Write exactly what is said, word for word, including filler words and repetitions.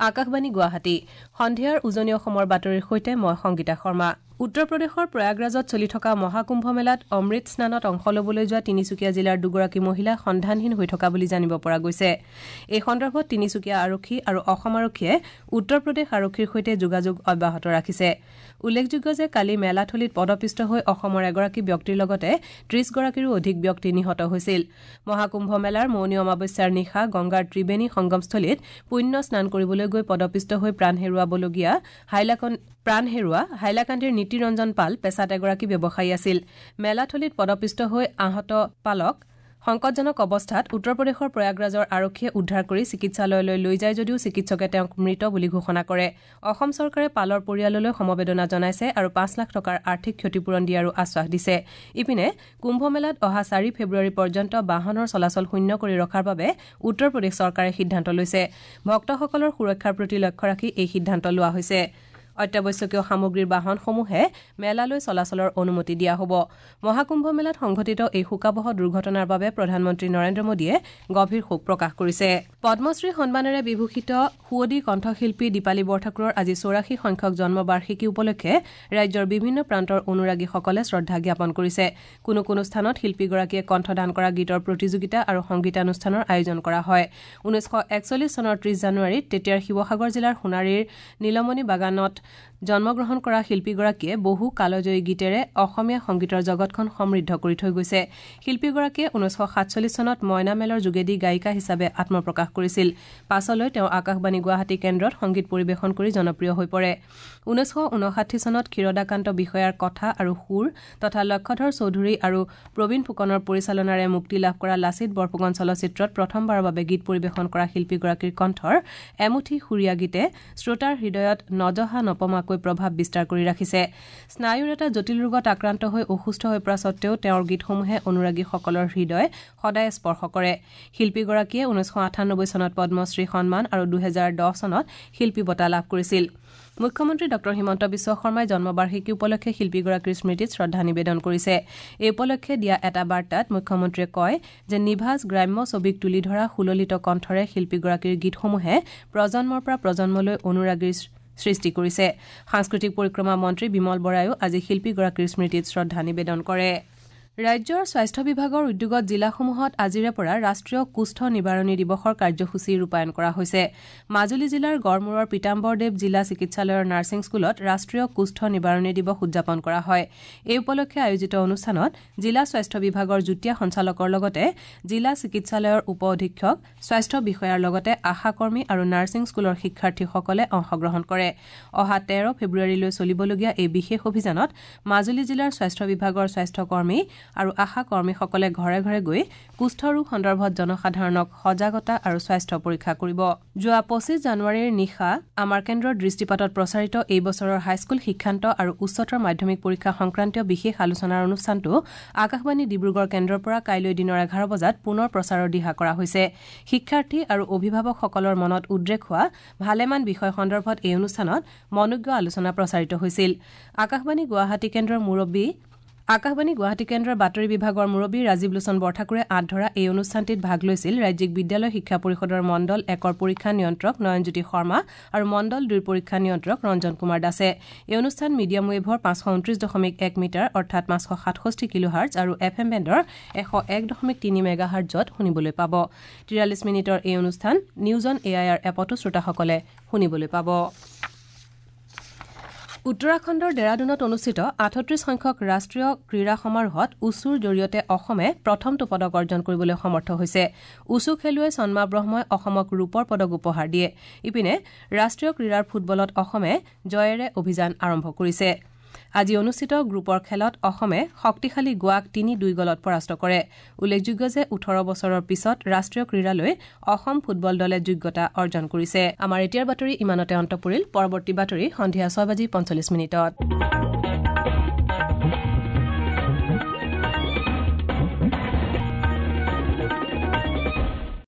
আকাশবাণী গুৱাহাটী সন্ধিয়াৰ উজনি অসমৰ বাতৰিৰ সৈতে মই সংগীতা শৰ্মা। উত্তৰ প্ৰদেশৰ প্ৰয়াগৰাজত চলি থকা মহাকুম্ভ মেলাত অমৃত স্নানত অংশ ল'বলৈ যোৱা তিনিচুকীয়া জিলাৰ দুগৰাকী মহিলা সন্ধানহীন হৈ থকা বুলি জানিব পৰা গৈছে। এই সন্দৰ্ভত তিনিচুকীয়া আৰক্ষী আৰু অসম আৰক্ষীয়ে উত্তৰ প্ৰদেশ আৰক্ষীৰ সৈতে যোগাযোগ অব্যাহত ৰাখিছে। উল্লেখযোগ্য যে কালি মেলাথলীত পদপিষ্ট হৈ অসমৰ এগৰাকী ব্যক্তিৰ লগতে ত্ৰিশগৰাকীৰো অধিক ব্যক্তি নিহত হৈছিল। মহাকুম্ভ মেলাৰ মৌনী অমাৱস্যাৰ নিশা গংগাৰ ত্ৰিবেণী সংগমস্থলীত পুণ্য স্নান কৰিবলৈ গৈ পদপিষ্ট হৈ প্ৰাণ হেৰুৱাবলগীয়া হাইলাকান্দি প্ৰাণ হেৰুৱা হাইলাকান্দিৰ নীতিৰঞ্জন পাল পেছাত এগৰাকী ব্যৱসায়ী আছিল। মেলাথলীত পদপিষ্ট হৈ আহত পালক সংকটজনক অৱস্থাত উত্তৰ প্ৰদেশৰ প্ৰয়াগৰাজৰ আৰক্ষীয়ে উদ্ধাৰ কৰি চিকিৎসালয়লৈ লৈ যায় যদিও চিকিৎসকে তেওঁক মৃত বুলি ঘোষণা কৰে। অসম চৰকাৰে পালৰ পৰিয়াললৈ সমবেদনা জনাইছে আৰু পাঁচ লাখ টকাৰ আৰ্থিক ক্ষতিপূৰণ দিয়াৰো আশ্বাস দিছে। ইপিনে কুম্ভ মেলাত অহা চাৰি ফেব্ৰুৱাৰী পৰ্যন্ত বাহনৰ চলাচল শূন্য কৰি ৰখাৰ বাবে উত্তৰ প্ৰদেশ চৰকাৰে সিদ্ধান্ত লৈছে। ভক্তসকলৰ সুৰক্ষাৰ প্ৰতি লক্ষ্য ৰাখি এই সিদ্ধান্ত লোৱা হৈছে। অত্যাৱশ্যকীয় সামগ্ৰীৰ বাহনসমূহে মেলালৈ চলাচলৰ অনুমতি দিয়া হ'ব। মহাকুম্ভ মেলাত সংঘটিত এই শোকাৱহ দুৰ্ঘটনাৰ বাবে প্ৰধানমন্ত্ৰী নৰেন্দ্ৰ মোদীয়ে গভীৰ শোক প্ৰকাশ কৰিছে। পদ্মশ্ৰী সন্মানেৰে বিভূষিত সুৱদী কণ্ঠশিল্পী দীপালী বৰঠাকুৰৰ আজি চৌৰাশী সংখ্যক জন্মবাৰ্ষিকী উপলক্ষে ৰাজ্যৰ বিভিন্ন প্ৰান্তৰ অনুৰাগীসকলে শ্ৰদ্ধা জ্ঞাপন কৰিছে। কোনো কোনো স্থানত শিল্পীগৰাকীয়ে কণ্ঠদান কৰা গীতৰ প্ৰতিযোগিতা আৰু সংগীতানুষ্ঠানৰ আয়োজন কৰা হয়। ঊনৈছশ একচল্লিছ চনৰ ত্ৰিশ জানুৱাৰীত তেতিয়াৰ শিৱসাগৰ জিলাৰ সোণাৰীৰ নীলমণি বাগানত জন্মগ্ৰহণ কৰা শিল্পীগৰাকীয়ে বহু কালজয়ী গীতেৰে অসমীয়া সংগীতৰ জগতখন সমৃদ্ধ কৰি থৈ গৈছে। শিল্পীগৰাকীয়ে ঊনৈছশ সাতচল্লিছ চনত মইনা মেলৰ যোগেদি গায়িকা হিচাপে আত্মপ্ৰকাশ কৰিছিল। পাছলৈ তেওঁ আকাশবাণী গুৱাহাটী কেন্দ্ৰত সংগীত পৰিৱেশন কৰি জনপ্ৰিয় হৈ পৰে। ঊনৈছশ ঊনষাঠি চনত ক্ষীৰদাকান্ত বিষয়াৰ কথা আৰু সুৰ তথা লক্ষ্যধৰ চৌধুৰী আৰু প্ৰবীণ ফুকনৰ পৰিচালনাৰে মুক্তি লাভ কৰা লাচিত বৰফুকন চলচ্চিত্ৰত প্ৰথমবাৰৰ বাবে গীত পৰিৱেশন কৰা শিল্পীগৰাকীৰ কণ্ঠৰ এমুঠি সুৰীয়া গীতে শ্ৰোতাৰ হৃদয়ত নজহা নপমাকৈ প্ৰভাৱ বিস্তাৰ কৰি ৰাখিছে। স্নায়ুৰ এটা জটিল ৰোগত আক্ৰান্ত হৈ অসুস্থ হৈ পৰা সত্ত্বেও তেওঁৰ গীতসমূহে অনুৰাগীসকলৰ হৃদয় সদায় স্পৰ্শ কৰে। শিল্পীগৰাকীয়ে ঊনৈছশ আঠানব্বৈ চনত পদ্মশ্ৰী সন্মান আৰু দুহেজাৰ দহ চনত শিল্পী বঁটা লাভ কৰিছিল। মুখ্যমন্ত্ৰী ডঃ হিমন্ত বিশ্ব শৰ্মাই জন্মবাৰ্ষিকী উপলক্ষে শিল্পীগৰাকীৰ স্মৃতিত শ্ৰদ্ধা নিবেদন কৰিছে। এই উপলক্ষে দিয়া এটা বাৰ্তাত মুখ্যমন্ত্ৰীয়ে কয় যে নিভাজ গ্ৰাম্য ছবিক তুলি ধৰা সুললিত কণ্ঠৰে শিল্পীগৰাকীৰ গীতসমূহে প্ৰজন্মৰ পৰা প্ৰজন্মলৈ অনুৰাগীৰ সৃষ্টি কৰিছে। সাংস্কৃতিক পৰিক্ৰমা মন্ত্ৰী বিমল বৰায়ো আজি শিল্পীগৰাকীৰ স্মৃতিত শ্ৰদ্ধা নিবেদন কৰে। ৰাজ্যৰ স্বাস্থ্য বিভাগৰ উদ্যোগত জিলাসমূহত আজিৰে পৰা ৰাষ্ট্ৰীয় কুষ্ঠ নিবাৰণী দিৱসৰ কাৰ্যসূচী ৰূপায়ণ কৰা হৈছে। মাজুলী জিলাৰ গড়মূৰৰ পীতাম্বৰদেৱ জিলা চিকিৎসালয়ৰ নাৰ্ছিং স্কুলত ৰাষ্ট্ৰীয় কুষ্ঠ নিবাৰণী দিৱস উদযাপন কৰা হয়। এই উপলক্ষে আয়োজিত অনুষ্ঠানত জিলা স্বাস্থ্য বিভাগৰ যুটীয়া সঞ্চালকৰ লগতে জিলা চিকিৎসালয়ৰ উপ অধীক্ষক, স্বাস্থ্য বিষয়াৰ লগতে আশাকৰ্মী আৰু নাৰ্ছিং স্কুলৰ শিক্ষাৰ্থীসকলে অংশগ্ৰহণ কৰে। অহা তেৰ ফেব্ৰুৱাৰীলৈ চলিবলগীয়া এই বিশেষ অভিযানত মাজুলী জিলাৰ স্বাস্থ্য বিভাগৰ স্বাস্থ্যকৰ্মী আৰু আশা কৰ্মীসকলে ঘৰে ঘৰে গৈ কুষ্ঠ ৰোগ সন্দৰ্ভত জনসাধাৰণক সজাগতা আৰু স্বাস্থ্য পৰীক্ষা কৰিব। যোৱা পঁচিছ জানুৱাৰীৰ নিশা আমাৰ কেন্দ্ৰৰ দৃষ্টিপাতত প্ৰচাৰিত এই বছৰৰ হাইস্কুল শিক্ষান্ত আৰু উচ্চতৰ মাধ্যমিক পৰীক্ষা সংক্ৰান্তীয় বিশেষ আলোচনাৰ অনুষ্ঠানটো আকাশবাণী ডিব্ৰুগড় কেন্দ্ৰৰ পৰা কাইলৈ দিনৰ এঘাৰ বজাত পুনৰ প্ৰচাৰৰ দিহা কৰা হৈছে। শিক্ষাৰ্থী আৰু অভিভাৱকসকলৰ মনত উদ্ৰেক হোৱা ভালেমান বিষয় সন্দৰ্ভত এই অনুষ্ঠানত মনোজ্ঞ আলোচনা প্ৰচাৰিত হৈছিল। আকাশবাণী গুৱাহাটী কেন্দ্ৰৰ মুৰব্বী আকাশবাণী গুৱাহাটী কেন্দ্ৰৰ বাতৰি বিভাগৰ মুৰব্বী ৰাজীৱ লোচন বৰঠাকুৰে আঁত ধৰা এই অনুষ্ঠানটিত ভাগ লৈছিল ৰাজ্যিক বিদ্যালয় শিক্ষা পৰিষদৰ মণ্ডল একৰ পৰীক্ষা নিয়ন্ত্ৰক নয়নজ্যোতি শৰ্মা আৰু মণ্ডল দুইৰ পৰীক্ষা নিয়ন্ত্ৰক ৰঞ্জন কুমাৰ দাসে। এই অনুষ্ঠান মিডিয়াম ৱেভৰ পাঁচশ ঊনত্ৰিশ দশমিক এক মিটাৰ অৰ্থাৎ পাঁচশ সাতষষ্ঠি কিলোহাৰ্টজ আৰু এফ এম বেণ্ডৰ এশ এক দশমিক তিনি মেগাহাৰ্টজত শুনিবলৈ পাব। তিৰাল্লিছ মিনিটৰ এই অনুষ্ঠান news on A I R এপতো শ্ৰোতাসকলে শুনিবলৈ পাব। উত্তৰাখণ্ডৰ ডেৰাডুনত অনুষ্ঠিত আঠত্ৰিশ সংখ্যক ৰাষ্ট্ৰীয় ক্ৰীড়া সমাৰোহত উচুৰ জৰিয়তে অসমে প্ৰথমটো পদক অৰ্জন কৰিবলৈ সমৰ্থ হৈছে। উচু খেলুৱৈ সন্মা ব্ৰহ্মই অসমক ৰূপৰ পদক উপহাৰ দিয়ে। ইপিনে ৰাষ্ট্ৰীয় ক্ৰীড়াৰ ফুটবলত অসমে জয়েৰে অভিযান আৰম্ভ কৰিছে। আজি অনুষ্ঠিত গ্ৰুপৰ খেলত অসমে শক্তিশালী গোৱাক তিনি দুই গলত পৰাস্ত কৰে। উল্লেখযোগ্য যে ওঠৰ বছৰৰ পিছত ৰাষ্ট্ৰীয় ক্ৰীড়ালৈ অসম ফুটবল দলে যোগ্যতা অৰ্জন কৰিছে। আমাৰ এতিয়াৰ বাতৰি ইমানতে অন্ত পৰিল। পৰৱৰ্তী বাতৰি সন্ধিয়া ছয় বাজি পঞ্চল্লিছ মিনিটত।